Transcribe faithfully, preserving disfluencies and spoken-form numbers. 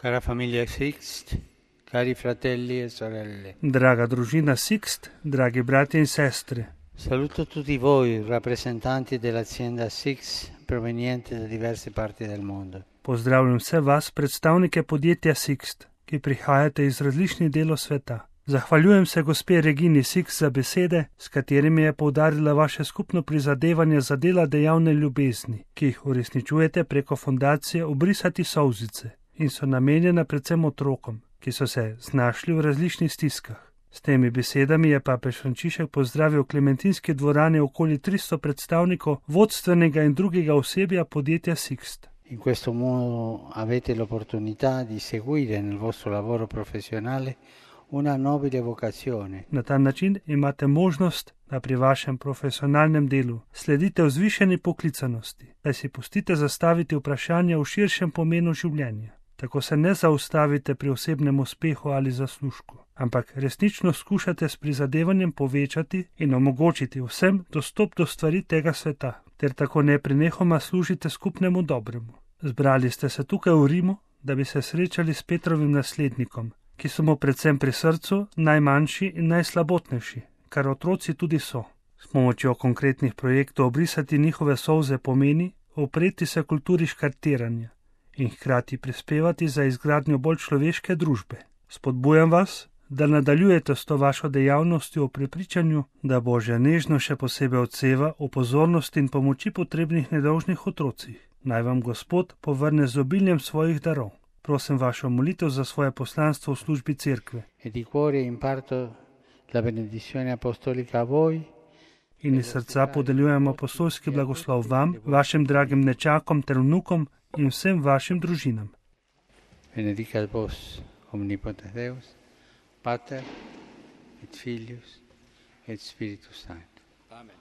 Cara famiglia Sixt, cari fratelli e sorelle. Draga družina Sixt, dragi bratje in sestre, Saluto tutti voi, rappresentanti dell'azienda Sixt provenienti da diverse parti del mondo. pozdravljam vse vas, predstavnike podjetja Sixt, ki prihajate iz različnih delov sveta. Zahvaljujem se gospe Regini Sixt za besede, s katerimi je poudarila vaše skupno prizadevanje za dela dejavne ljubezni, ki jih uresničujete preko fundacije Obrisati solzice in so namenjena predvsem otrokom, ki so se znašli v različnih stiskah. S temi besedami je papež Frančišek pozdravil v Klementinski dvorani okoli tristo predstavnikov vodstvenega in drugega osebja podjetja Sixt. In questo modo avete l'opportunità di seguire nel vostro lavoro professionale una nobile vocazione. Na ta način imate možnost, da pri vašem profesionalnem delu sledite vzvišeni poklicanosti, da si pustite zastaviti vprašanja v širšem pomenu življenja. Tako se ne zaustavite pri osebnem uspehu ali zaslužku, ampak resnično skušate s prizadevanjem povečati in omogočiti vsem dostop do stvari tega sveta, ter tako neprenehoma služite skupnemu dobremu. Zbrali ste se tukaj v Rimu, da bi se srečali s Petrovim naslednikom, ki so mu predvsem pri srcu najmanjši in najslabotnejši, kar otroci tudi so. S pomočjo konkretnih projektov obrisati njihove solze pomeni upreti se kulturi škartiranja in hkrati prispevati za izgradnjo bolj človeške družbe. Spodbujam vas, da nadaljujete s to vašo dejavnostjo v prepričanju, da Božja nežnost še posebej odseva v pozornosti in pomoči potrebnih nedolžnih otrocih. Naj vam Gospod povrne z obiljem svojih darov. Prosim vašo molitev za svoje poslanstvo v službi cerkve. E di cuore imparto la benedizione apostolica a voi. In iz srca podeljujem apostolski blagoslov vam, vašim dragim nečakom ter vnukom in vsem vašim družinam. Benedicat vos omnipotens Deus, Pater et Filius et Spiritus Sanctus. Amen.